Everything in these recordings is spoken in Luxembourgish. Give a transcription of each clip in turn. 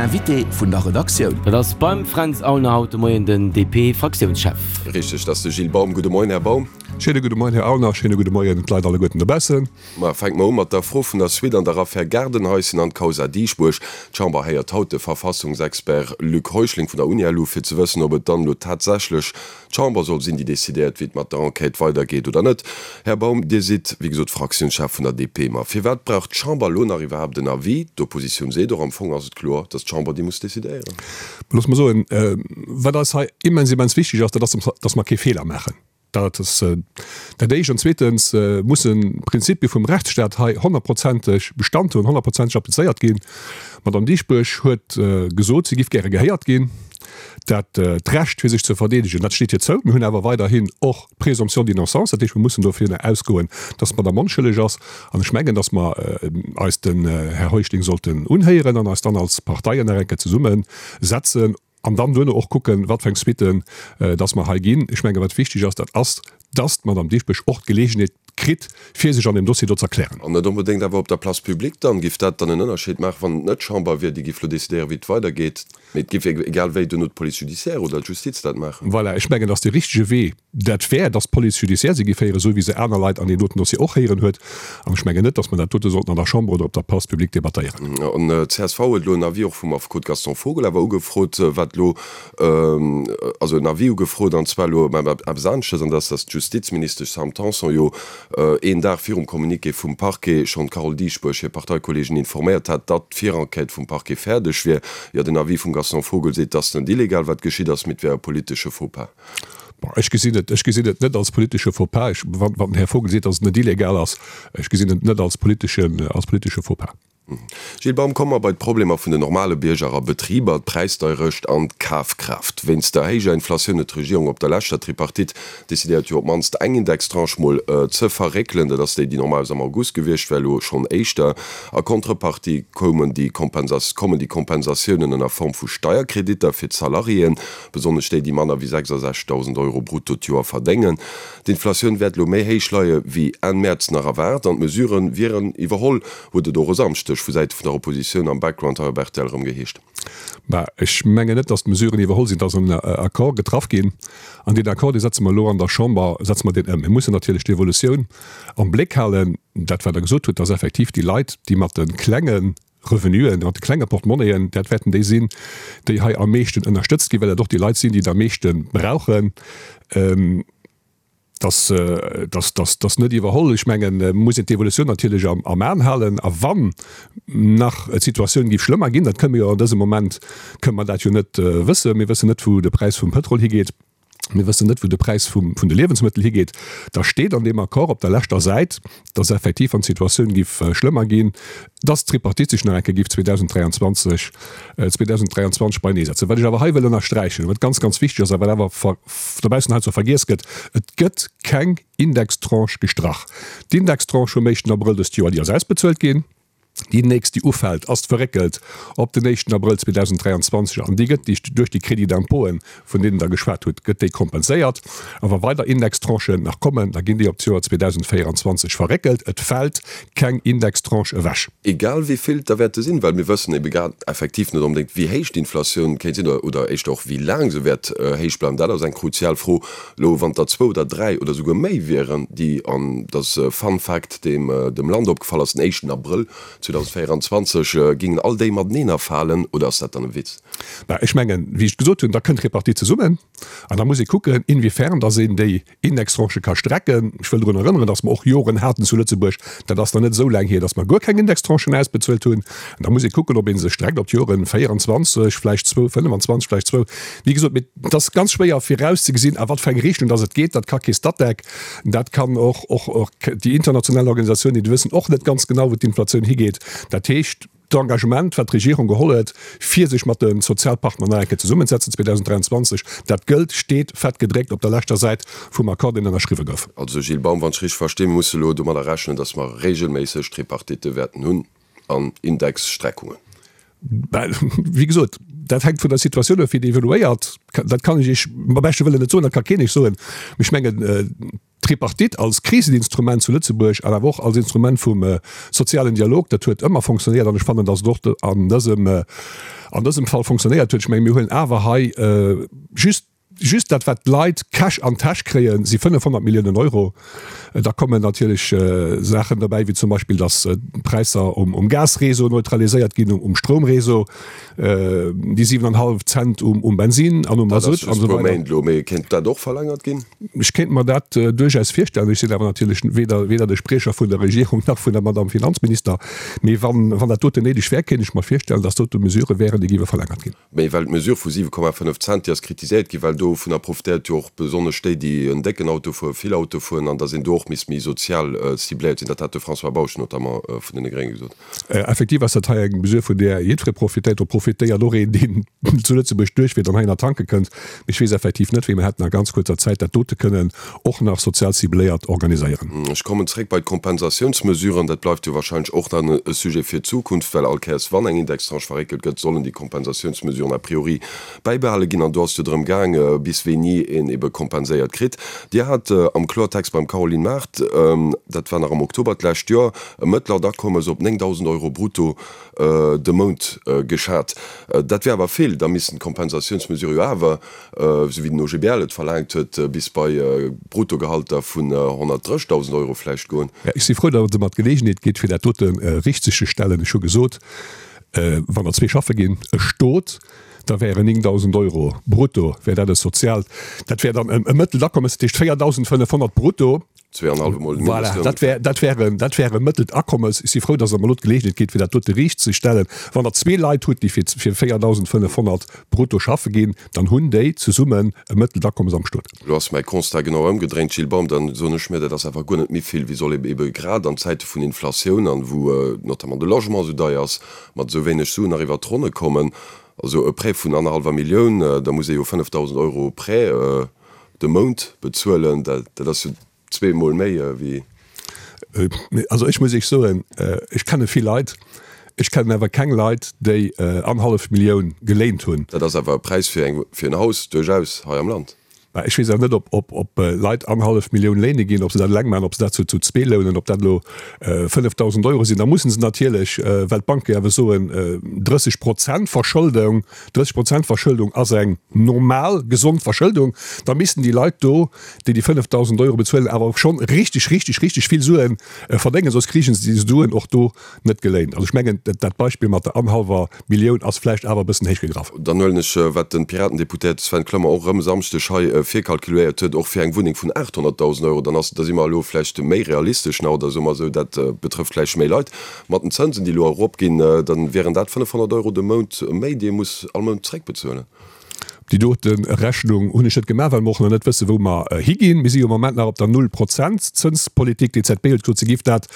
Invité vun der Redaktioun. Dat ass beim Fränz Aulner haut de Moien den DP-Fraktiounschef. Richteg, dat ass de Gilles Baum. Gudde Moien, Här Baum. Schéine gudde Moien, Här Aulner. Schéine gudde Moien d'Leit alleguerten dobaussen. Ma fänke mer u mat der Fro vun der Suite an der Affär Gaardenhaischen an d'Causa Dieschbourg. D'Chamber héiert haut de Verfassungsexpert Luc Heuschling vun der UniLu, fir ze wëssen, ob et dann elo tatsächlech d'Chamber soll sinn, déi decidéiert, wéi et mat der Enquête weidergeet oder net. Här Baum, Dir sidd, wéi gesot, Fraktiounschef vun der DP. Ma firwat brauch d'Chamber elo nach iwwerhaapt en Avis? D'Oppositioun seet och, am Fong ass et kloer, datt d'Chamber déi muss decidéieren. Looss mer soen, wat eis hei immens, immens wichteg ass, dat ass, datt mer kee Feeler maachen. Dat ass dat Éischt. An zweetens mussen d'Prinzipie vum Rechtsstaat hei honnertprozenteg Bestand hunn, honnertprozenteg applizéiert ginn. D'Madame Dieschbourg huet gesot, si giff gäre gehéiert ginn. Dat d'Recht fir sech ze verdeedegen, dat steet hir zou. Mir hunn awer weiderhin och d'Présomption d'innocence, dat heescht, mir mussen dovunner ausgoen, dass d'Madame onschëlleg ass. An ech mengen, dass mer eis den Här Heuschling sollten unhéieren an eis dann als Parteien nach eng Kéier zesummesetzen an dann duerno och kucken, wat fir eng Suitten dass mer hei ginn. Ech mengen, wat wichteg ass, dat ass, dass d'Madame Dieschbourg och d'Geleegenheet kritt, fir sech an deem Dossier do z'erklären. An net onbedéngt awer op der Place publique dann. Giff dat dann en Ënnerscheed maachen, wann et net d'Chamber wier, déi giff lo decidéieren, wéi et weidergeet? Mee et giff egal wéi duerno d'Police judiciaire oder d'Justiz dat maachen. Voilà, ech mengen, dass dee richtege Wee dat wär, dass d'Police judiciaire se giff héieren, esou wéi se aner Leit an deem doten Dossier och héieren huet. An ech mengen net, dass mer dat dote sollten an der Chamber oder op der Place publique debattéieren. An d'CSV huet elo en Avis och vum Affekot Gaston Vogel awer ugefrot, wat elo, also en Avis ugefrot, an zwar elo ëm eppes aneschters, an dat ass, dass d'Justizministesch Sam Tanson jo een Dag virum Communiqué vum Parquet schonn d'Carole Dieschbourg, hir Parteikolleegen, informéiert hat, datt d'Virenquête vum Parquet fäerdeg wier. Jo, den Avis vum Gaston Vogel seet, et ass net illegal, wat geschitt ass, mee et wär e politesche Faux-pas. Bon, ech gesinn et, ech gesinn et net als politesche Faux-pas. Ech, wann, wann den Här Vogel seet, datt et net illegal ass, ech gesinn et net als politeschen, als politesche Faux-pas. Gilles Baum, Komme mer bei d'Problemer vun den normale Bierger a Betriber, d'Präisdeierecht an d'Kafkraaft. Wéinst der héijer Inflatioun huet d'Regierung op der leschter Tripartite decidéiert, jo op d'mannst eng Indextranche mol ze verréckelen. Dat ass déi, déi normalerweis am August gewiescht wär, elo schonn éischter. A Contrepartie koumen déi kommen déi Kompensatiounen ënner Form vu Steierkreditter fir d'Salariéen, besonnesch déi, déi manner wéi 66.000 Euro brutto d'Joer verdéngen. D'Inflatioun wäert elo méi héich leie wéi Enn Mäerz nach erwaart an d'Mesurë wieren iwwerholl. Huet et och e Samschdeg vu Säite vun der Oppositioun am Background hei op rtl erëm geheescht. Bah, ech mengen net, datt d'Mesuren iwwerholl sinn. Et ass en Accord getraff ginn an deen Accord, dee setze mer elo an der Chamber, setze mer deen ëm. Mir mussen natierlech d'Evolutioun am Bléck halen. Dat, wat Der gesot hutt, datt effektiv déi Leit, déi mat de klenge Revenuen, mat de klenge Portemonnaien, dat wäerten déi sinn, déi hei am meeschten ënnerstëtzt ginn, well dat och déi Leit sinn, déi et am meeschte brauchen. Dass, dass, dass, dass net iwwerholl. Ech mengen, muss een d'Evolutioun natierlech am, am Aen halen. A wann nach d'Situatioun géif schlëmmer ginn, dat kënne mer jo an dësem Moment, kënne mer dat jo net wëssen. Mir wëssen net, wou de Präis vum Pëtrol higeet. Mir wëssen net, wou de Präis vum, vun de Liewensmëttel higeet. Da steet an deem Accord op der leschter Säit, dass effektiv, wann d'Situatioun géif schlëmmer ginn, dass d'Tripartite sech nach eng Kéier géif 2023, 2023 beineesetzen. Wat ech awer hei wëll ënnersträichen, wat ganz, ganz wichteg ass a wat awer dobaussen heiansdo vergiess gëtt, Et gëtt keng Indextranche gestrach. D'Indextranche vum éischten Abrëll dëst Joer, déi ass ausbezuelt ginn. Déi nächst, déi ufält, ass verréckelt op den éischten Abrëll 2023 an déi gëtt duerch déi Crédits d'impôten, vun deenen Der geschwat hutt, gëtt déi kompenséiert. A wa weider Indextranchen nach kommen, da ginn déi op d'Joer 2024 verréckelt. Et fält keng Indextranche ewech. Egal wéi vill et der wäerte sinn, well mir wëssen ebe grad effektiv net onbedéngt, wéi héich d'Inflatioun kéint sinn oder éischter och wéi laang se wäert héich bleiwen. Dat ass eng kruzial Fro. Elo, wann et der zwou oder dräi oder souguer méi wieren, déi, an dat ass e Fun Fact, deem dem Land opgefall ass, den éischten Abrëll 2024, gingen all déi mateneen erfalen, oder ass dat dann e Witz? Bah, ech mengen, wéi ech gesot hunn, da kënnt d'Repartie zesummen an da muss ee kucken, inwiefern dass een déi Indextranchë ka strecken. Ech wëll drun erënneren, dass mer och Joren haten zu Lëtzebuerg, dat ass nach net esou laang hier, dass mer guer keng Indextranchen ausbezuelt hunn. An da muss ee kucken, ob ee se streckt op d'Joren 24, vläicht zwou, 25, vläicht zwou. Wéi gesot, mee et ass ganz schwéier virauszegesinn, a wat fir eng Richtung dass et geet. Dat ka kee Statec, dat kann och och déi international Organisatiounen, déi wëssen och net ganz genau, wou d'Inflatioun higeet. Dat heescht, D'Engagement, wat d'Regierung geholl huet, fir sech mat de Sozialpartner nach eng Kéier zesummenzesetzen 2023, dat gëllt, steet fett gedréckt op der leschter Säit vum Accord, deen ënnerschriwwe gouf. Also Gilles Baum, wann ech richteg verstinn, mir musse elo domadder rechnen, datt mer regelméisseg Tripartitte wäerten hunn an Indexstreckungen. Ben, wéi gesot, dat hänkt vun der Situatioun of, wéi déi evoluéiert. Dat kann ech Iech mam beschte Wëllen net soen, dat ka keen Iech soen. Mee ech mengen. D'Tripartite als Kriseninstrument zu Lëtzebuerg an awer och als Instrument vum sozialen Dialog, dat huet ëmmer fonctionnéiert an ech fannen, datt et och an dësem, an dësem Fall fonctionnéiert huet. Ech mengen, mir huelen awer hei just, just dat wat d'Leit Cash an d'Täsch kréien, si 500 Milliounen Euro. Da kommen natierlech Saachen derbäi, wéi zum Beispill, datt d'Präisser um Gasréseau neutraliséiert ginn, um Stroumréseau. Déi 7,5 Cent um Bensin an um Masutt an esou weider. Méint elo, mee kéint dat och verlängert ginn? Ech kéint mer dat duerchaus virstellen. Ech sinn awer natierlech weder weder de Spriecher vun der Regierung nach vun der Madamm Finanzminister. Mee wann wann dat doten néideg wär, kéint ech mer virstellen, datt dote Mesurë wären, déi géiwe verlängert ginn. Mee well d'Mesure vu 7,5 Cent, déi ass kritiséiert ginn, well dovunner profitéiert jo och besonnesch déi, déi en décken Auto fueren, vill Auto fueren, an datt een do och misst méi sozial cibléiert sinn. Dat hat de François Bausch notamment vun deene Grénge gesot. Effektiv ass dat hei eng Mesure, vun där jiddweree profitéiert. Do profitéiert och een, deen zu Lëtzebuerg duerchfiert an heihinner tanke kënnt. Mee ech weess effektiv net, wéi mer hätten a ganz kuerzer Zäit dat dote kënnen och nach sozial cibléiert organiséieren. Ech kommen zréck bei d'Kompensatiounsmesuren. Dat bleift jo wahrscheinlech och nach e Sujet fir d'Zukunft, well all Kéiers, wann eng Indextranche verréckelt gëtt, sollen déi Kompensatiounsmesuren a priori bäibehale ginn. An do ass et jo drëm gaang, bis wéini een ebe kompenséiert kritt. Dir hat am Kloertext beim Caroline Mart, dat war nach am Oktober d'lescht Joer, e mëttlert Akommes op 9.000 Euro brutto de Mount geschat. Dat wär awer vill. Da missten d'Kompensatiounsmesure jo awer, esou wéi den OGBL et verlaangt huet, bis bei Bruttogehalter vun 130.000 Euro vläicht goen. Ech si frou, datt Der mer d'Geleegenheet gitt, fir dat dote richtzegestellen. Ech hu gesot, wann der zwee schaffe ginn, e Stot, da wären 9.000 Euro brutto, wär dat e soziaalt, dat wär dann e mëttelt Akommes, dat heescht 4.500 brutto. Zweeanhallwe Mol den Voilà, Mindestloun. dat wär, dat wär en, dat wär e mëttelt Akommes. Ech si frou, dass Der mer elo d'Geleegenheet gitt, fir dat dote riichtzestellen. Wann Der zwee Leit hutt, déi fir, fir 4.500 brutto schaffe ginn, dann hunn déi zesummen e mëttelt Akommes am Stot. Elo ass mäi Constat genau ëmgedréint, Gilles Baum, dann soen ech mir, dat ass awer guer net méi vill. Wéi soll ee ebe grad an Zäite vun Inflatioun an wou notamment de Logement esou deier ass, mat esou wéineg Suen nach iwwert d'Ronne kommen? Also e Prêt vun annerhallwer Millioun, da muss ee jo 5.000 Euro Prêt de Mount bezuelen, dat ass jo zweemol méi wéi. Also ech muss Iech soen, ech kenne vill Leit, ech kennen awer keng Leit, déi annerhallef Millioun geléint hunn. Dat ass awer e Präis fir eng, fir en Haus duerchaus hei am Land. Mä ech weess awer net, ob, ob Leit annerhallef Millioun léine ginn, ob se dat eleng maachen, ob se dat zu zwee lounen, ob dat elo 5.000 Euro sinn. Da mussen se natierlech, well d'Banke jo awer soen, 30 Prozent Verschëldung, 30 Prozent Verschëldung ass eng normal, gesond Verschëldung, da missten déi Leit do, déi déi 5.000 Euro bezuelen, awer och schonn richtig, richtig, richtig vill Sue verdéngen, soss kriegen se déi Suen och do net geléint. Also ech mengen, dat Beispill mat der anhallwer Millioun ass vläicht awer e bëssen héich gegraff. Dann huelen ech, wat de Piratendeputéierte Sven Clement och erëm e Samschdeg hei virkalkuléiert huet, och fir eng Wunneng vun 800.000 Euro, dann ass, da si mer elo vläicht méi realistesch nach, oder soe mer esou, dat betrëfft vläicht méi Leit. Mat den Zënsen, déi elo eropginn, da wieren dat 500 Euro de Mount méi, déi ee muss all Mount zréckbezuelen. Déi dote Rechnung hunn ech net gemaach, well mer och nach net wëssen, wou mer higinn. Mir si jo am Moment nach op der Null-Prozent-Zënspolitik. D'EZB huet gesot, se giff dat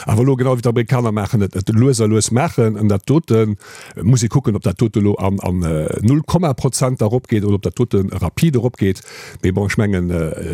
awer elo, genau wéi d'Amerikaner maachen, et lues a lues maachen. An dat dote muss ee kucken, ob dat dote elo an Null Komma Prozent eropgeet oder ob dat dote rapid eropgeet. Mee bon, ech mengen,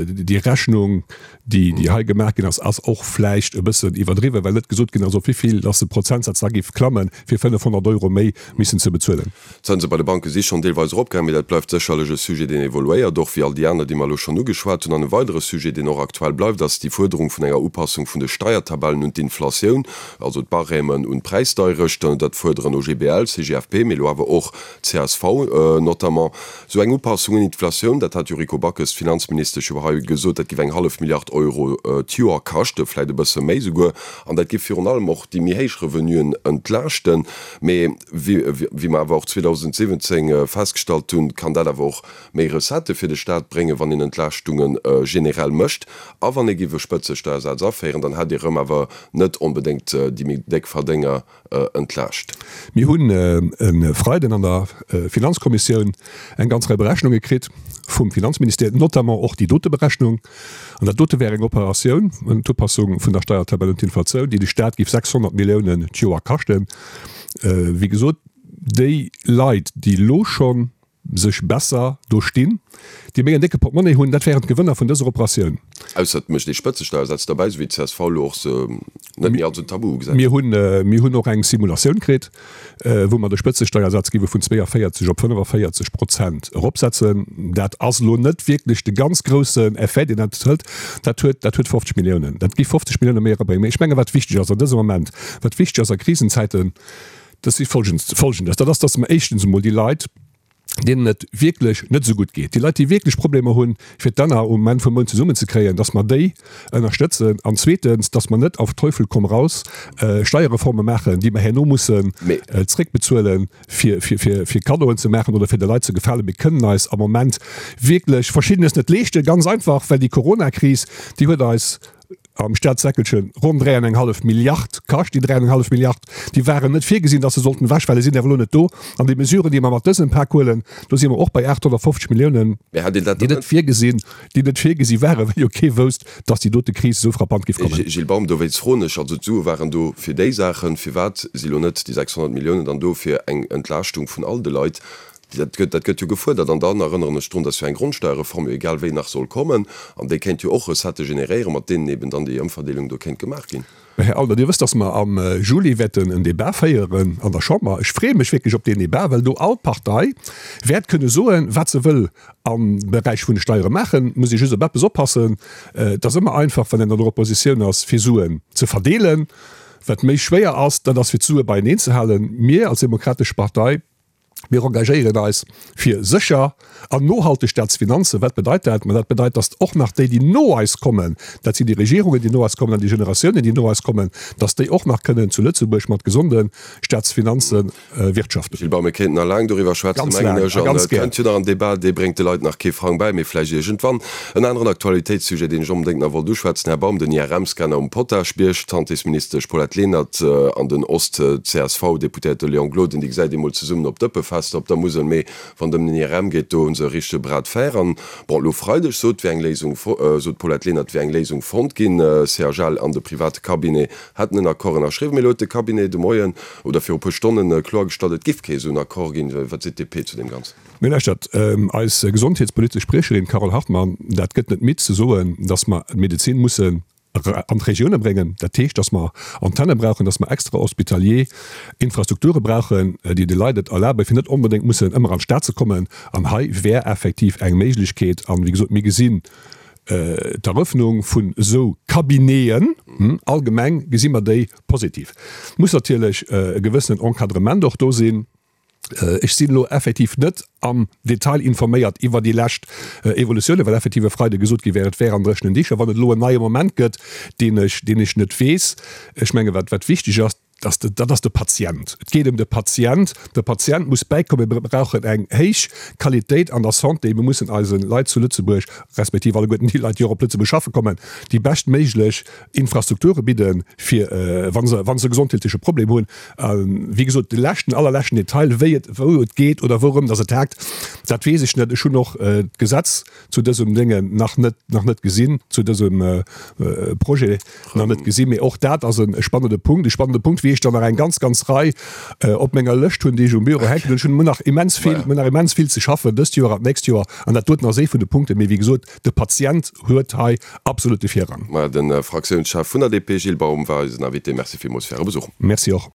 déi Rechnung, déi déi hei gemaach ginn ass, ass och vläicht e bëssen iwwerdriwwen, well net gesot ginn ass, op wéi vill dass de Prozentsaz da géif klammen, fir 500 Euro méi missen ze bezuelen. D'Zënse bei de Banke si schonn deelweis eropgaangen, mee dat bleift sécherlech e Sujet, deen evoluéiert, och wéi all déi aner, déi mer elo schonn ugeschwat hunn. An e weidere Sujet, deen och aktuell bleift, ass déi Fuerderung vun enger Upassung vun de Steiertabellen un d'Inflatioun, also d'Barèmen un d'Präisdeirecht. Dat fuerderen OGBL, CGFP, mee elo awer och csv notamment. Esou eng Upassung un d'Inflatioun, dat hat d'Yuriko Backes, d'Finanzministesch, jo hei gesot, dat giff eng hallef Milliard Euro d'Joer kaschten, vläit e bësse méi souguer, an dat giff virun allem och déi méi héich Revenuen entlaaschten. Mee wéi mer awer och 2017 festgestallt hunn, kann dat awer och méi Recettë fir de Staat bréngen, wann een Entlaaschtunge generell mécht. A wann ee giff e Spëtzesteiersaz aféieren, dann hätt ee rëm awer net onbedéngt déi méi déck Verdénger entlaascht. Mir hunn e Freiden an der Finanzkommissioun eng ganz Rei Berechnunge kritt vum Finanzministère, notamment och déi dote Berechnung. An dat dote wär eng Operatioun, d'Upassung vun der Steiertabell un d'Inflatioun, déi de Staat géif 600 Milliounen d'Joer kaschten. Wéi gesot, déi Leit, déi elo scho sech besser do stinn, déi méi en décke Portemonnaie hunn, dat wären d'Gewënner vun dëser Operatioun. Ausser et mécht ee Spëtzesteiersätz derbäi, esou wéi d'CSV elo och se net méi als en Tabu ugesäit. Mir hunn, mir hunn och eng Simulatioun kritt, wou mer de Spëtzesteiersaz géiwe vun 42 op 45 Prozent eropsetzen. Dat ass elo net wierklech de ganz groussen Effet, deen dat hëlt. Dat huet, dat huet 50 Milliounen, dat gi 50 Millioune méi erabréngen. Mee ech mengen, wat wichteg ass an dësem Moment, wat wichteg ass a Krisenzäiten, dat si Folgendes, dat ass, datt mer éischtens emol déi Leit, deenen et wierklech net esou gutt geet, déi Leit, déi wierklech Problemer hunn, fir d'Enner um Enn vum Mount zesummenzekréien, dass mer déi ënnerstëtzen. An zweetens, dass mer net auf Teufel komm raus Steierreforme maachen, déi mer herno mussen zréckbezuelen, fir, fir, fir, fir Kaddoen ze maachen oder fir de Leit ze gefalen. Mir kënnen eis am Moment wierklech Verschiddenes net leeschten, ganz einfach, well déi Coronakris, déi huet eis, am Staatssäckelchen ronn 3 an eng hallef Milliard kascht. Déi 3 an eng hallef Milliard, déi waren net virgesinn, datt se sollten ewechfalen, sinn awer elo net do. An déi Mesuren, déi mer mat dësem Pak huelen, do si mer och bei 850 Milliounen, déi net virgesinn, déi net virgesi waren, well jo kee wousst, datt déi dote Kris esou frappant géif kommen. Gilles Baum, Dowéinst froen ech, also d'Sue waren do fir déi Saachen, firwat si lo net déi 600 Milliounen dann do fir eng Entlaaschtung vun all de Leit? Dat gëtt, dat gëtt jo gefuerdert. An dann erënneren ech drun, dass jo eng Grondsteuerreform jo egal wéi nach soll kommen. An déi kéint jo och Recettë generéieren, mat deenen eben dann déi Ëmverdeelung do kéint gemaach ginn. Mä Här Alder, Dir wësst, dass mer am Juli wäerten en Débat féieren an der Chamber. Ech freeë mech wierklech op deen Débat, well do all Partei wäert kënne soen, wat se wëll am Beräich vun de Steiere maachen. Et muss ee just op eppes oppassen, Et ass ëmmer einfach, wann een an der Oppositioun ass, fir Suen ze verdeelen. Wat méi schwéier ass, dat ass, fir d'Sue beieneen ze halen. Mir als Demokratesch Partei, Mir engagéieren eis fir sécher an nohalteg Staatsfinanzen. Wat bedeit dat? Ma dat bedeit, datt och nach déi, déi no eis kommen, dat sinn déi Regierungen, déi no eis kommen an déi Generatiounen, déi no eis kommen, datt déi och nach kënnen zu Lëtzebuerg mat gesonde Staatsfinanze wirtschaften. Gilles Baum, Mir kéinten nach laang doriwwer schwätzen, Ganz mengen laang ech. a An ganz et gär. kënnt jo nach en Débat, dee bréngt de Leit nach kee Frang bäi, mee vläicht iergendwann. En aneren Aktualitéitssujet, deen ech onbedéngt nach wollt uschwätzen, Här Baum, den IRM-Scanner um Potaschbierg. D'Santésministesch Paulette Lenert an den Ost-CSV-Deputéierte Léon Gloden, déi gesäit ee mol zesummen op Dëppefester op der Musel, mee wann et ëm den IRM geet, do hu se e richtege Bras de fer. An, bon, elo Freideg sot, wär eng Léisung, sot d'Paulette Lenert, wär eng Léisung fonnt ginn. CHL an de private Cabinet hätten en Accord ënnerschriwwen, mee elo huet de Cabinet de Moien oder viru puer Stonnen kloergestallt, et giff kee esou en Accord ginn. Wat seet d'DP zu deem Ganzen? Mee lauschtert, eis gesondheetspolitesch Spriecherin Carole Hartmann, dat gëtt net midd ze soen, datt mer d'Medezin mussen an d'Regioune bréngen. Dat heescht, datt mer Antenne brauchen, datt mer extra-hospitalier Infrastrukture brauchen, déi de Leit et erlaben, fir net onbedéngt mussen ëmmer an d'Stad ze kommen. An hei wär effektiv eng Méiglechkeet. An, wéi gesot, mir gesinn d'Erëffnung vun esou Cabineten, allgemeng gesi mer déi positiv. Muss natierlech e gewëssenen Encadrement och do sinn. Ech sinn elo effektiv net am Detail informéiert iwwer déi lescht Evolutiounen, well effektiv e Freide gesot gi wär, et wär an dréchenen Dicher. Wann et elo en neie Moment gëtt, deen ech, deen ech net weess. Ech menge wat, wat wichteg ass, dass de, dat ass de Patient. Et geet ëm de Patient. De Patient muss bäikommen. Mir brauchen eng héich Qualitéit an der Santé. Mir mussen eise Leit zu Lëtzebuerg, respektiv alleguerten déi Leit, déi och op Lëtzebuerg schaffe kommen, déi beschtméiglech Infrastrukture bidden, fir wa se, wa se e gesondheetleche Problem hunn. A wéi gesot, de leschten, allerleschten Detail, wéi et, wou et geet oder wourëm datt et haakt, dat weess ech net. Ech hunn och d'Gesetz zu dësem Déngen nach net, nach net gesinn, zu dësem Projet nach net gesinn. Mee och dat ass e spannende Punkt, e spannende Punkt, wéi ech der nach eng ganz, ganz Rei op menger Lëscht hunn, déi ech um Büro hänken hunn. Ech hunn nach immens vill, mir hunn nach immens vill ze schaffen dëst Joer an d'nächst Joer. An dat doten ass ee vun de Punkten. Mee wéi gesot, De Patient huet hei absolut de Virrang. Maja, de Fraktiounschef vun der DP, Gilles Baum, war eisen Invité. Merci villmools fir Äre Besuch. Merci och.